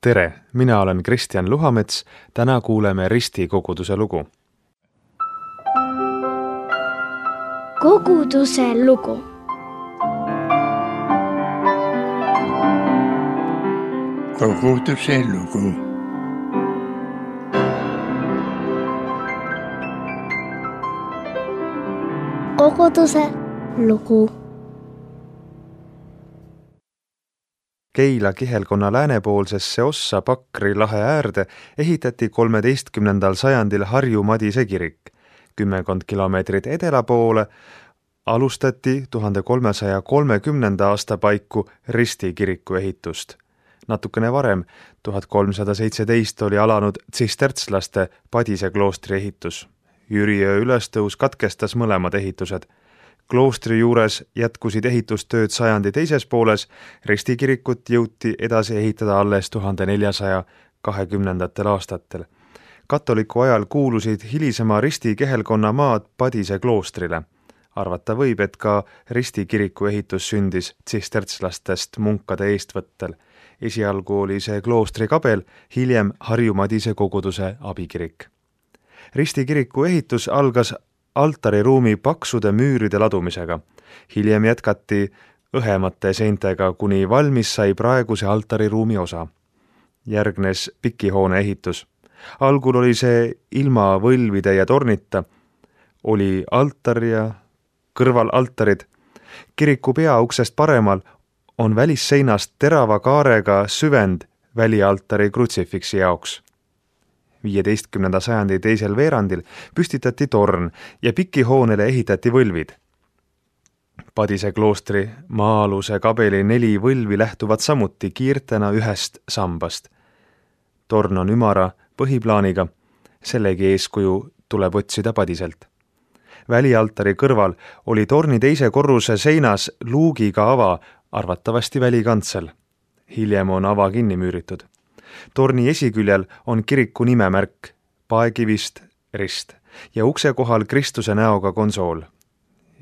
Tere, mina olen Kristjan Luhamets, täna kuuleme Risti koguduse lugu. Koguduse lugu. Koguduse lugu. Koguduse lugu. Keila kihelkonna läänepoolsesse ossa Pakri lahe äärde ehitati 13. sajandil Harju Madise kirik. 10 kilomeetrit edela poole alustati 1330. aasta paiku Risti kiriku ehitust. Natukene varem, 1317 oli alanud tsistertslaste Padise kloostri ehitus. Jüriöö ülestõus katkestas mõlemad ehitused. Kloostri juures jätkusid ehitustööd sajandi teises pooles, Risti kirikut jõuti edasi ehitada alles 1420. aastatel. Katoliku ajal kuulusid hilisema Risti kehelkonna maad Padise kloostrile. Arvata võib, et ka Risti kiriku ehitus sündis tsistertslastest munkade eestvõttel. Esialgu oli see kloostri kabel, hiljem Harju Madise koguduse abikirik. Risti kiriku ehitus algas altariruumi paksude müüride ladumisega. Hiljem jätkati õhemate seintega, kuni valmis sai praeguse altariruumi osa. Järgnes pikihoone ehitus. Algul oli see ilma võlvide ja tornita, oli altar ja kõrval altarid. Kiriku peauksest paremal on välisseinast terava kaarega süvend välialtari krutsifiksi jaoks. 15. sajandi teisel veerandil püstitati torn ja pikihoonele ehitati võlvid. Padise kloostri maa-aluse kabeli 4 võlvi lähtuvad samuti kiirtena ühest sambast. Torn on ümara põhiplaaniga, sellegi eeskuju tuleb otsida Padiselt. Välialtari kõrval oli torni teise korruse seinas luugiga ava, arvatavasti välikantsel. Hiljem on ava kinni müüritud. Torni esiküljel on kiriku nimemärk, paekivist rist ja ukse kohal Kristuse näoga konsool.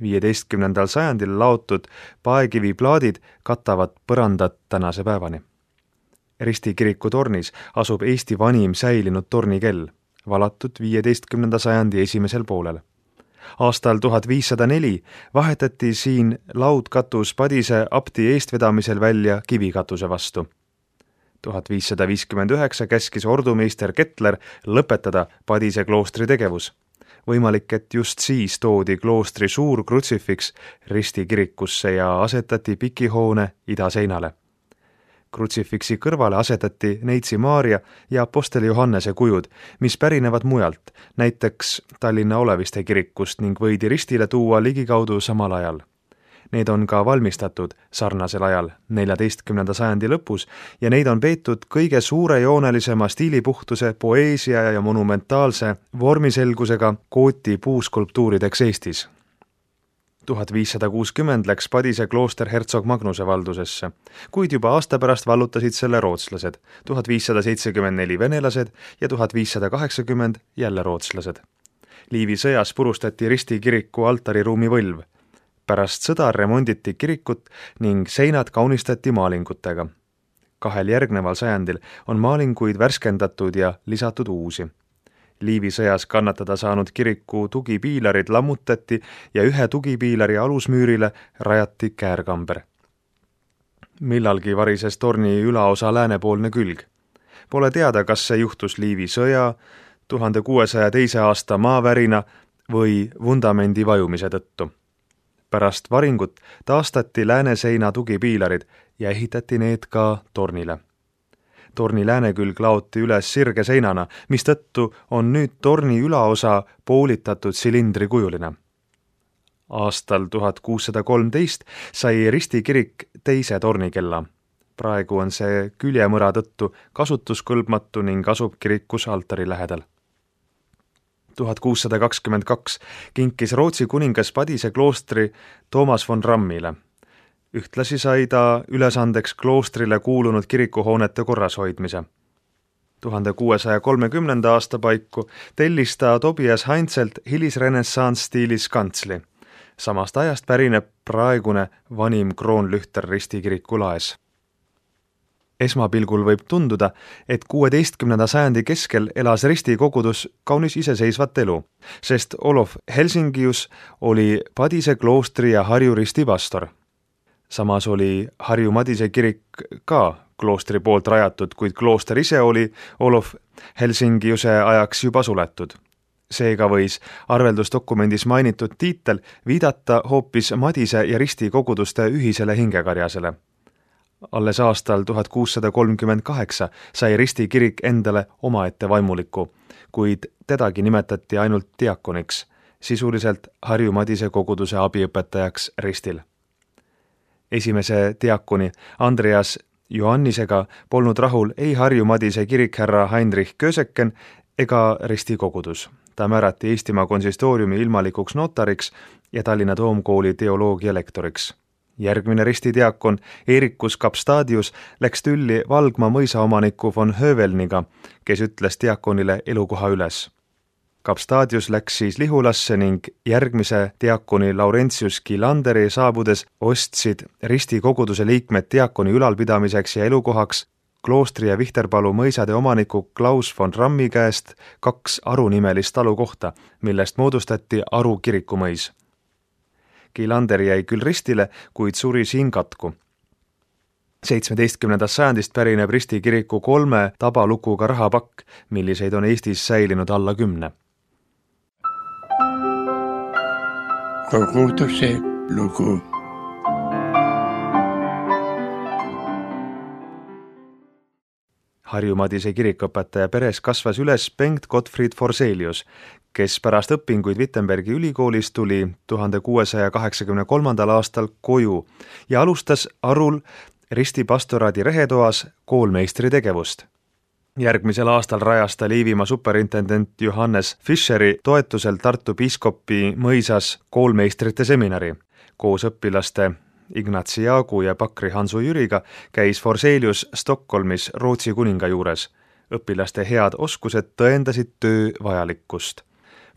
15. sajandil laotud paekiviplaadid katavad põrandat tänase päevani. Risti kiriku tornis asub Eesti vanim säilinud tornikell, valatud 15. sajandi esimesel poolel. Aastal 1504 vahetati siin laudkatus Padise abdi eestvedamisel välja kivikatuse vastu. 1559 käskis ordumeister Kettler lõpetada Padise kloostri tegevus. Võimalik, et just siis toodi kloostri suur krutsifiks Risti kirikusse ja asetati pikihoone idaseinale. Krutsifiksi kõrvale asetati Neitsi Maarja ja Aposteli Johannese kujud, mis pärinevad mujalt, näiteks Tallinna Oleviste kirikust ning võidi Ristile tuua ligikaudu samal ajal. Need on ka valmistatud sarnasel ajal 14. sajandi lõpus ja neid on peetud kõige suurejoonelisema stiilipuhtuse, poeesia ja monumentaalse vormiselgusega kooti puuskulptuurideks Eestis. 1560 läks Padise klooster Hertsog Magnuse valdusesse, kuid juba aasta pärast vallutasid selle rootslased, 1574 venelased ja 1580 jälle rootslased. Liivi sõjas purustati Risti kiriku altariruumi võlv. Pärast sõda remonditi kirikut ning seinad kaunistati maalingutega. 2 järgneval sajandil on maalinguid värskendatud ja lisatud uusi. Liivi sõjas kannatada saanud kiriku tugipiilarid lammutati ja 1 tugipiilari alusmüürile rajati käärkamber. Millalgi varises torni ülaosa läänepoolne külg. Pole teada, kas see juhtus Liivi sõja, 1602. aasta maavärina või vundamendi vajumise tõttu. Pärast varingut taastati lääneseina tugipiilarid ja ehitati need ka tornile. Torni läänekülg laoti üles sirge seinana, mistõttu on nüüd torni ülaosa poolitatud silindrikujuline. Aastal 1613 sai Risti kirik teise tornikella. Praegu on see küljemõra tõttu kasutuskõlbmatu ning asub kirikus altari lähedal. 1622 kinkis Rootsi kuningas Padise kloostri Toomas von Rammile. Ühtlasi sai ta ülesandeks kloostrile kuulunud kirikuhoonete korrashoidmise. 1630. aasta paiku tellis ta Tobias Heinzelt hilisrenessanss-stiilis kantsli. Samast ajast pärineb praegune vanim kroonlühter Risti kiriku laes. Esmapilgul võib tunduda, et 16. sajandi keskel elas Risti kogudus kaunis iseseisvat elu, sest Olof Helsingius oli Padise kloostri ja Harju Risti pastor. Samas oli Harju Madise kirik ka kloostri poolt rajatud, kuid klooster ise oli Olof Helsingiuse ajaks juba suletud. Seega võis arveldusdokumendis mainitud tiitel viidata hoopis Madise ja Risti koguduste ühisele hingekarjasele. Alles aastal 1638 sai Risti kirik endale omaette vaimuliku, kuid tedagi nimetati ainult diakoniks, sisuliselt Harju Madise koguduse abiõpetajaks Ristil. Esimese diakoni Andreas Johannisega polnud rahul ei Harju Madise kirikherra Heinrich Köseken ega Risti kogudus. Ta määrati Eestimaa konsistooriumi ilmalikuks notariks ja Tallinna Toomkooli teoloogia lektoriks. Järgmine Risti diakon Eerikus Kapstadius läks tülli Valgma mõisaomaniku von Hövelniga, kes ütles diakonile elukoha üles. Kapstadius läks siis Lihulasse ning järgmise diakoni Laurentius Gilanderi saabudes ostsid Risti koguduse liikmed diakoni ülalpidamiseks ja elukohaks kloostri ja Vihterpalu mõisade omaniku Klaus von Rammi käest 2 arunimelist talukohta, millest moodustati Aru kirikumõis. Gilander jäi küll Ristile, kuid suri siin katku. 17. sajandist pärineb Risti kiriku 3 tabalukuga rahapakk, milliseid on Eestis säilinud alla 10. Koguduse lugu. Harju Madise kirikõpetaja peres kasvas üles Bengt Gottfried Forselius, kes pärast õpinguid Wittenbergi ülikoolis tuli 1683. aastal koju ja alustas Arul Risti pastoraadi rehetoas koolmeistri tegevust. Järgmisel aastal rajas ta Liivimaa superintendent Johannes Fischeri toetusel Tartu piiskopi mõisas koolmeistrite seminari. Koos õpilaste Ignatsi Jaagu ja Pakri Hansu Jüriga käis Forselius Stockholmis Rootsi kuninga juures. Õpilaste head oskused tõendasid töö vajalikkust.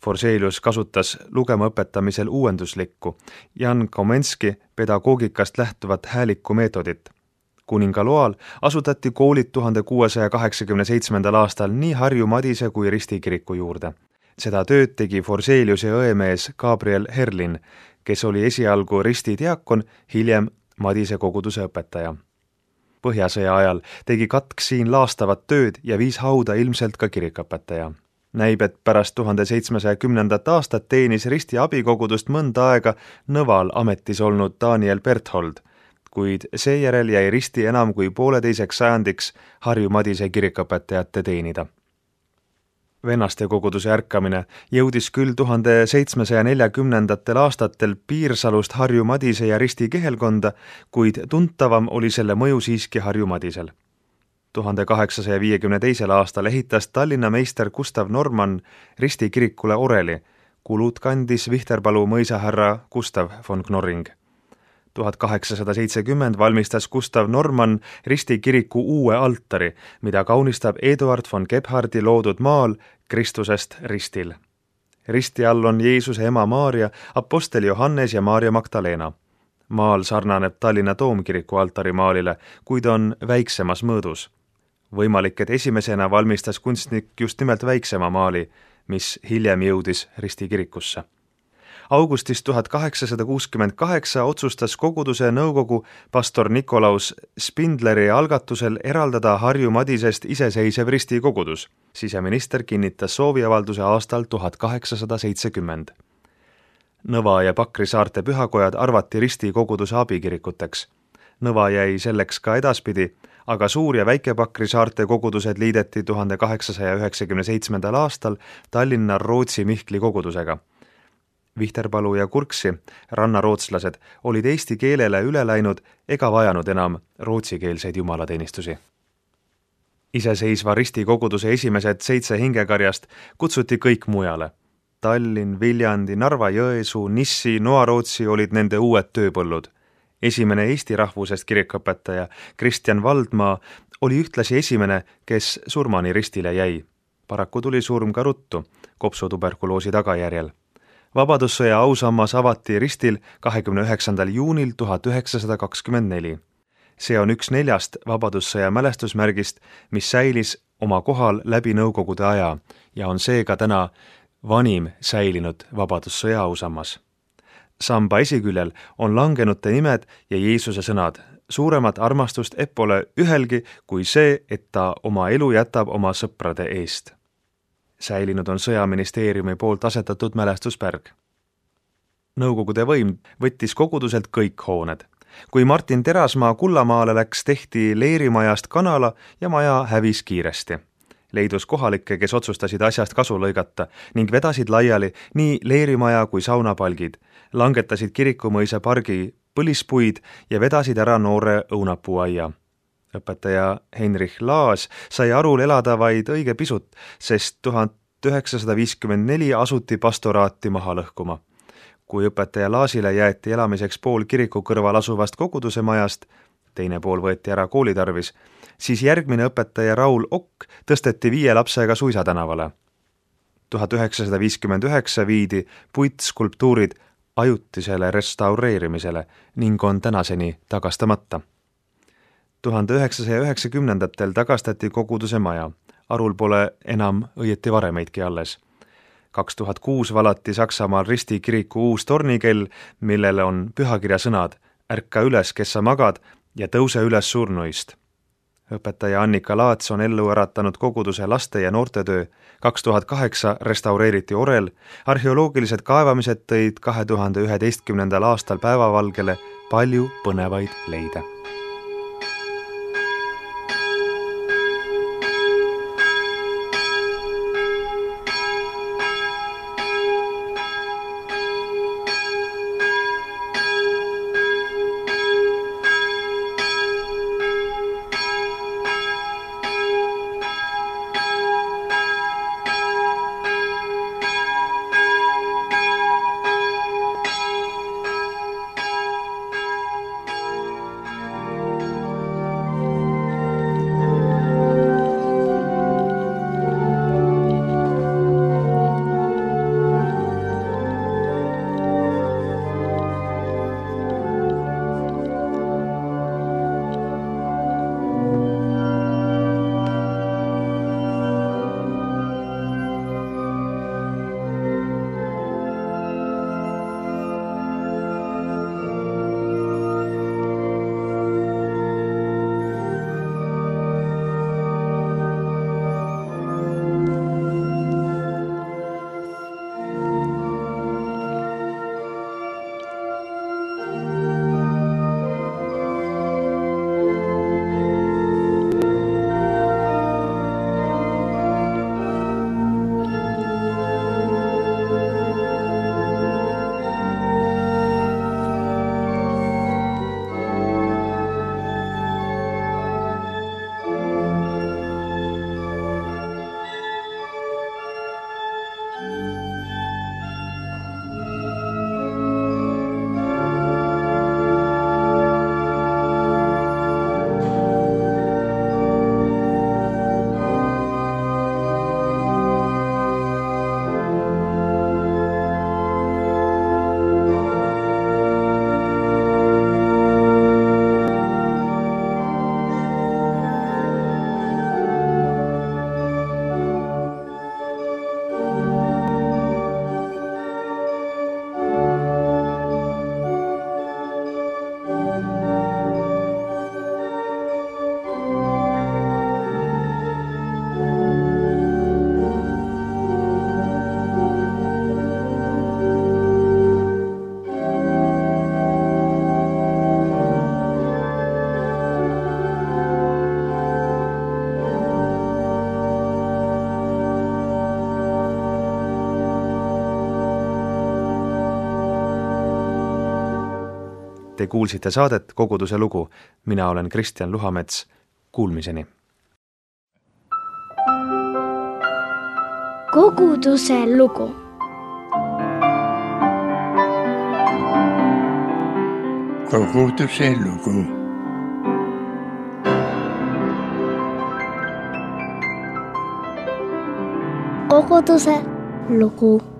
Forselius kasutas lugema õpetamisel uuenduslikku Jan Komenski pedagoogikast lähtuvat hääliku meetodit. Kuninga loal asutati koolid 1687. aastal nii Harju Madise kui Risti kiriku juurde. Seda tööd tegi Forseliuse õemees Gabriel Herlin, kes oli esialgu Risti diakon, hiljem Madise koguduse õpetaja. Põhjasõja ajal tegi Katk siin laastavat tööd ja viis hauda ilmselt ka kirikõpetaja. Näib, et pärast 1710. aastat teenis Risti abikogudust mõnda aega Nõval ametis olnud Daniel Berthold, kuid seejärel jäi Risti enam kui 1,5 sajandiks Harju Madise kirikõpetajate teenida. Vennaste koguduse ärkamine jõudis küll 1740. aastatel Piirsalust Harju Madise ja Risti kihelkonda, kuid tuntavam oli selle mõju siiski Harju Madisel. 1852. aastal ehitas Tallinna meister Gustav Norman Risti kirikule oreli, kulud kandis Vihterpalu mõisahärra Gustav von Knorring. 1870 valmistas Gustav Norman Risti kiriku uue altari, mida kaunistab Eduard von Gebhardi loodud maal Kristusest ristil. Risti all on Jeesuse ema Maarja, apostel Johannes ja Maarja Magdalena. Maal sarnaneb Tallinna Toomkiriku altarimaalile, kuid on väiksemas mõõdus. Võimalik, et esimesena valmistas kunstnik just nimelt väiksema maali, mis hiljem jõudis Risti kirikusse. Augustis 1868 otsustas koguduse nõukogu pastor Nikolaus Spindleri algatusel eraldada Harju Madisest iseseisev Risti kogudus. Siseminister kinnitas sooviavalduse aastal 1870. Nõva ja Pakri saarte pühakojad arvati Risti koguduse abikirikuteks. Nõva jäi selleks ka edaspidi, aga Suur- ja Väike-Pakri saarte kogudused liideti 1897. aastal Tallinna Rootsi Mihkli kogudusega. Vihterpalu ja Kurksi, rannarootslased, olid eesti keelele üle läinud ega vajanud enam rootsikeelseid jumalateenistusi. Iseseisva Risti koguduse esimesed 7 hingekarjast kutsuti kõik mujale. Tallinn, Viljandi, Narva, Jõesuu, Nissi, Noarootsi olid nende uued tööpõllud. Esimene eesti rahvusest kirikõpetaja Kristjan Valdmaa oli ühtlasi esimene, kes surmani Ristile jäi. Paraku tuli surm ka ruttu, kopsutuberkuloosi tagajärjel. Vabadussõja ausammas avati Ristil 29. juunil 1924. See on üks 4 vabadussõja mälestusmärgist, mis säilis oma kohal läbi Nõukogude aja ja on seega täna vanim säilinud vabadussõja ausammas. Samba esiküljel on langenute nimed ja Jeesuse sõnad. Suuremat armastust pole ühelgi kui see, et ta oma elu jätab oma sõprade eest. Säilinud on Sõjaministeeriumi poolt asetatud mälestuspärg. Nõukogude võim võttis koguduselt kõik hooned. Kui Martin Terasmaa Kullamaale läks, tehti leerimajast kanala ja maja hävis kiiresti. Leidus kohalikke, kes otsustasid asjast kasu lõigata ning vedasid laiali nii leerimaja kui saunapalgid, langetasid Kirikumõisa pargi põlispuid ja vedasid ära noore õunapuuaia. Õpetaja Heinrich Laas sai Arul elada vaid õige pisut, sest 1954 asuti pastoraati maha lõhkuma. Kui õpetaja Laasile jäeti elamiseks pool kiriku kõrval asuvast koguduse majast, teine pool võeti ära kooli tarvis, siis järgmine õpetaja Raul Okk tõsteti 5 lapsega Suisa tänavale. 1959 viidi puitskulptuurid ajutisele restaureerimisele ning on tänaseni tagastamata. 1990-ndatel tagastati koguduse maja. Arul pole enam õieti varemeidki alles. 2006 valati Saksamaal Risti kiriku uus tornikell, millele on pühakirja sõnad ärka üles, kes sa magad ja tõuse üles surnuist. Õpetaja Annika Laats on ellu äratanud koguduse laste- ja noortetöö. 2008 restaureeriti orel. Arheoloogilised kaevamised tõid 2011. aastal päevavalgele palju põnevaid leide. Te kuulsite saadet Koguduse lugu. Mina olen Kristjan Luhamets. Kuulmiseni. Koguduse lugu. Koguduse lugu. Koguduse lugu.